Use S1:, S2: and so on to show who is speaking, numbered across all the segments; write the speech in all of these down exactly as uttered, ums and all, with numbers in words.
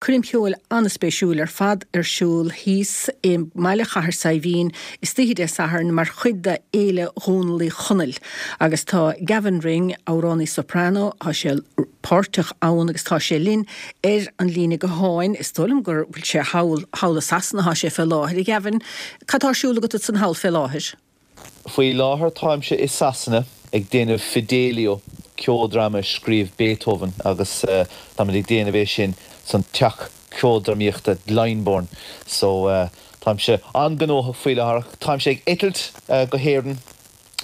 S1: Coirm cheoil an-spéisiúil ar fad ar siúl thíos i mbaile Chathair Saidhbhín istoíche Dé Sathairn mar chuid de Fhéile Dhónaill Uí Chonaill agus tá Gavin Ring amhránaí soprano tá sé páirteach ann agus tá sé linn ar an líne gutháin is dóigh liom gur bhfuil sé thall thall i Sasana tá sé fé láthair a Gavin, Cad tá ar siúl agat ansan thall fé láthair.
S2: Faoi láthair táimse i Sasana ag déanamh Fidelio ceoldráma scríobh Beethoven agus uh, táimid ag déanamh é sin san teach ceoldrámaíochta Glyndebourne so uh, táimse an-ghnóthach faoi láthair táimse ag eitilt uh, go hÉirinn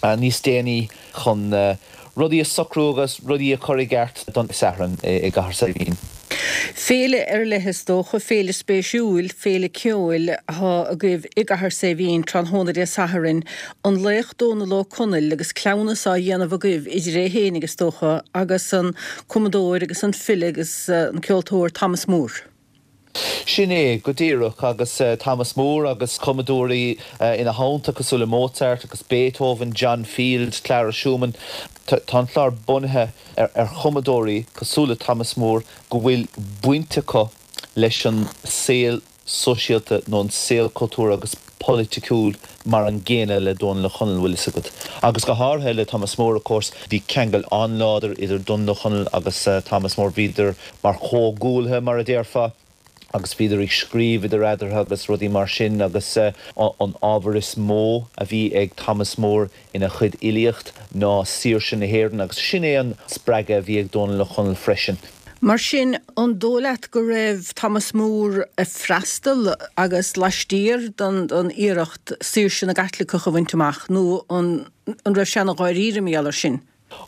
S2: uh, níos déanaí chun uh, rudaí a socrú agus rudaí a chur i gceart don Satharn i, i gCathair Saidhbhín.
S1: Féile ar leith is dócha féile spéisiúil féile ceoil atá agaibh i gCathair Saidhbhín tráthnóna Dé Sathairn an laoch Dónal Ó Conaill agus cleamhnas á dhéanamh agaibh idir é féin agus dócha agus an cumadóir agus an file agus uh, an ceoltóir Thomas Moore.
S2: Sin é go díreach agus uh, Thomas Moore agus cumadóirí uh, ina theannta cosúil le Mozart agus Beethoven, John Field, Clara Schumann tá an clár bunaithe ar, ar chumadóirí cosúil le Thomas Moore go bhfuil baint acu leis an saol sóisialta nó an saol cultúrtha agus polaitiúil mar an gcéanna le Dónal Ó Conaill bhfuil a fhios agat. Agus go háirithe le Thomas Moore of course, bhí ceangal an-láidir idir Dónal Ó Conaill agus uh, Thomas Moore bhíodar mar chomhghuaillithe mar a déarfá. agus bhíodar ag scríobh idir eatarthu agus rudaí mar sin agus uh, an ábhar is mó a bhí ag Thomas Moore ina chuid filíocht ná saoirse na hÉireann agus sin é an spreagadh a bhí ag Dónal Ó Conaill freisin.
S1: Mar sin an dóigh leat go raibh Thomas Moore ag freastal agus laistiar don don iarracht saoirse na gCaitliceach a bhaint amach nó an an raibh sé an-dháiríre mar sin.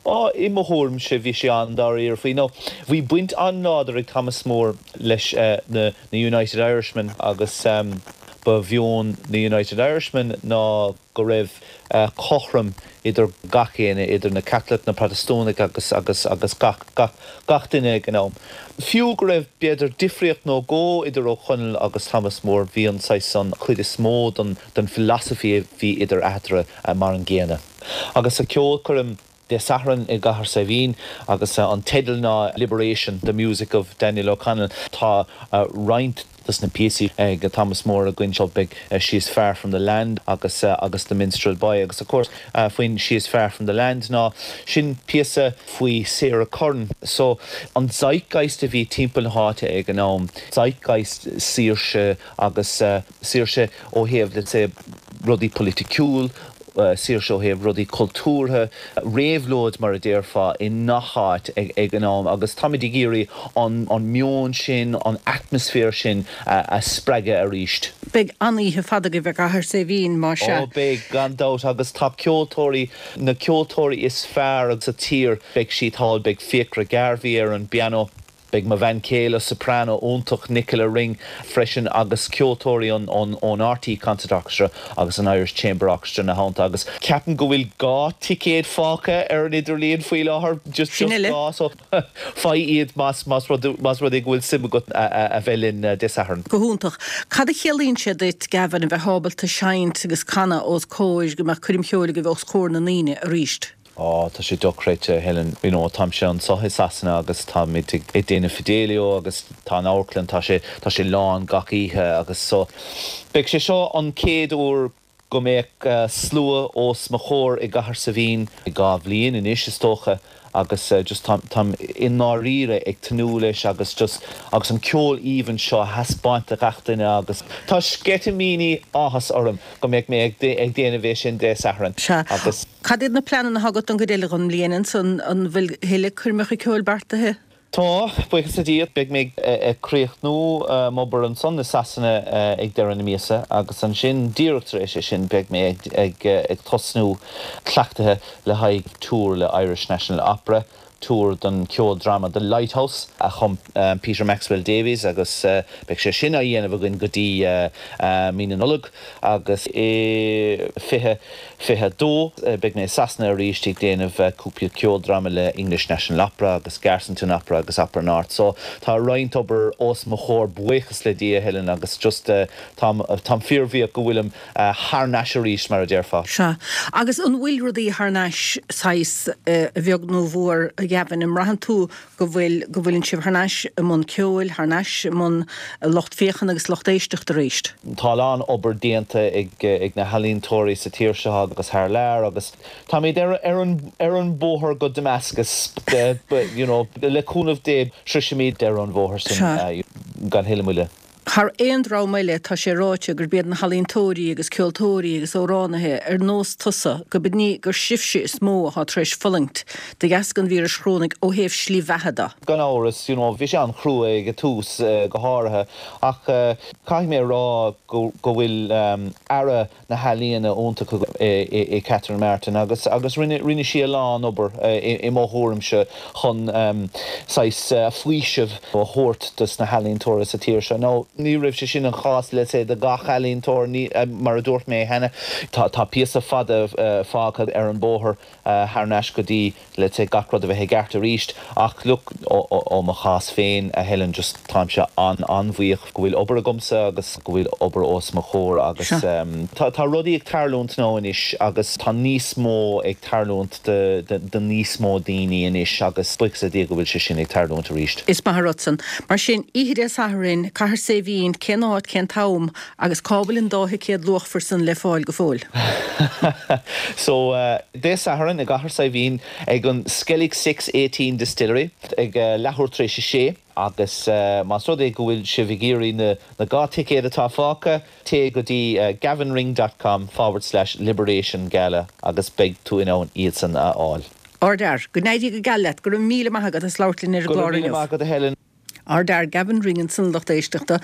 S2: Á i mo thuairimse bhí sé an-dáiríre faoi nó bhí baint an-láidir ag Thomas Moore leis uh, na, na United Irishmen agus um, ba mheon na United Irishmen ná go raibh uh, cothrom idir gach éinne idir na Catholic na Protastúnaigh agus agus agus gach gach gach duine ag an am. Fiú go raibh b'fhéidir difríocht nó dhó idir Ó Conaill agus Thomas Moore bhí an an chuid is mó den den philosophy bhí idir eatarthu uh, mar an gcéanna. Agus sa ceolchoirm Dé Sathairn i gCathair Saidhbhín agus uh, an teideal ná Liberation, the music of Daniel O'Connell tá uh, roinnt des na píosaí ag uh, Thomas Moore againn seo beidh uh, She is far from the land agus uh, agus the Minstrel Boy agus of course uh, faoin She is far from the land ná sin píosa faoi Sarah Curran so an zeitgeist a bhí timpeall na háite ag an am zeitgeist saoirse agus uh, saoirse ó thaobh let's say rudaí polaitiúil uh, saoirse ó thaobh rudaí cultúrtha réabhlóid mar a déarfá i ngach áit ag, ag an am agus táimid ag iarraidh an, an meon sin an atmaisféar sin uh, a spreagadh arís.
S1: Beidh an-oíche fada agaibh i gCathair Saidhbhín mar sin.
S2: Ó beidh gan dabht agus tá ceoltóirí na ceoltóirí is fearr agus sa tír beidh siad thall beidh Fiachra Garvey ar an piano. Beidh mo bhean chéile soprano iontach Nicola Ring freisin agus ceoltóirí an an ón RTÉ Concert Orchestra agus an Irish Chamber Orchestra ina theannta agus ceapaim go bhfuil dhá ticéad fágtha ar an idirlíon faoi láthair just
S1: Sin
S2: just
S1: eile.
S2: dhá so faigh iad más más rud más rud é go bhfuil suim agat a bheith linn Dé Sathairn.
S1: Go hiontach. Cad a chiallaíonn sé duit Gavin a bheith ábalta seinnt agus canadh os comhair go mbeadh coirm cheoil agaibh os comhair na ndaoine arís.
S2: Á tá sé dochreidte Helen you know, táimse anseo i Sasana agus táimid ag déanamh Fidelio agus tá an amharclann tá sé tá sé lán gach oíche agus so. Beidh sé seo an chéad uair go mbeidh uh, slua os mo chomhair i gCathair Saidhbhín i dhá bhliain anois is dócha agus uh, just tam tam i ndáiríre ag tnúth leis agus just agus an ceol aoibhinn seo a thaispeáint do gach duine agus tá sceitimíní áthais orm go mbeidh mé ag ag déanamh é sin Dé Sathairn
S1: Sea.
S2: agus
S1: Cad iad na pleananna atá agat an chuid eile den bhliain san an bhfuil tuilleadh coirmeacha ceoil beartaithe?
S2: Tá buíochas le Dia beidh mé ag críochnú m'obair ansan i Sasana ag deireadh na míosa agus ansin díreach tar éis é sin beidh mé ag ag ag tosnú cleachtaithe le haghaidh tour le Irish National Opera. tour don ceoldráma The Lighthouse a chum um, Peter Maxwell Davies agus uh, beidh sé sin á dhéanamh againn go dtí uh, uh, mí na Nollag agus i fiche fiche dó uh, beidh mé Sasana arís ag déanamh uh, cúpla ceoldráma le English National Opera agus Garsington Opera agus Opera North. So tá roinnt obair os mo chomhair buíochas le Dia Helen agus just uh, táim tá fíorbhuíoch go bhfuilim uh, thar n-ais arís mar a déarfá.
S1: Sea. Agus an bhfuil rudaí thar n-ais saghas a bheag nó mhór a a Gavin, an mbraitheann tú go bhfuil go bhfuileann sibh thar n-ais i mbun ceoil, thar n-ais i mbun lucht féachana agus lucht éisteachta arís?
S2: Tá a lán obair déanta ag ag na healaíontóirí sa tír seo agus thar lear agus táimid ar ar an ar an bóthar go Damascus you know, le cúnamh Dé sroisfimid deireadh an bhóthair sin gan thuilleadh moille.
S1: Thar aon dream eile tá sé ráite gurb iad na healaíontóirí agus ceoltóirí agus amhránaithe ar nós tusa go b'in í gur sibhse is mó atá tar éis fulaingt de dheasca an víris chorónaigh ó thaobh slí bheatha de.
S2: Gan amhras, you know, bhí sé an-chrua ag an tús go háirithe ach caithfidh mé a rá go go bhfuil Aire na healaíona iontach i Catherine Martin agus agus rinne rinne sí a lán obair i mo thuairimse chun saghas faoiseamh a thabhairt dos na healaíontóirí sa tír seo. Nó ní raibh sé sin an chás let's say do gach ealaíontóir ní mar a dúirt mé cheana tá tá píosa fada fágtha ar an bóthar thar n-ais go dtí let's say gach rud a bheith i gceart arís ach look ó mo chás féin a Helen just táimse an an-bhuíoch go bhfuil obair agamsa agus go bhfuil obair os mo chomhair agus tá tá rudaí ag tarlúint now anois agus tá níos mó ag tarlúint de de de níos mó daoine anois agus buíochas le Dia go bhfuil sé sin ag tarlúint arís.
S1: Is maith an rud san. Mar sin, oíche Dé Sathairn, Cathair Saidhbhín, cén áit, cén t-am agus cá bhfuil an dá thicéad luachmhar san le fáil go fóill?
S2: So Dé Sathairn i gCathair Saidhbhín ag an Skellig Six Eighteen Distillery ag leathuair tar éis a sé agus más rud é go bhfuil sibh ag iarraidh na na dhá ticéad atá fágtha, téigh go dtí gavinring dot com forward slash liberation gala agus beidh tú in ann iadsan a fháil.
S1: Ardfhear. Go n-éirí go geal leat. Go raibh míle maith agat as labhairt linn ar an
S2: Go raibh
S1: gclár
S2: míle
S1: inniu.
S2: maith agat a Helen.
S1: Ardfhear Gavin Ring ansan lucht éisteachta.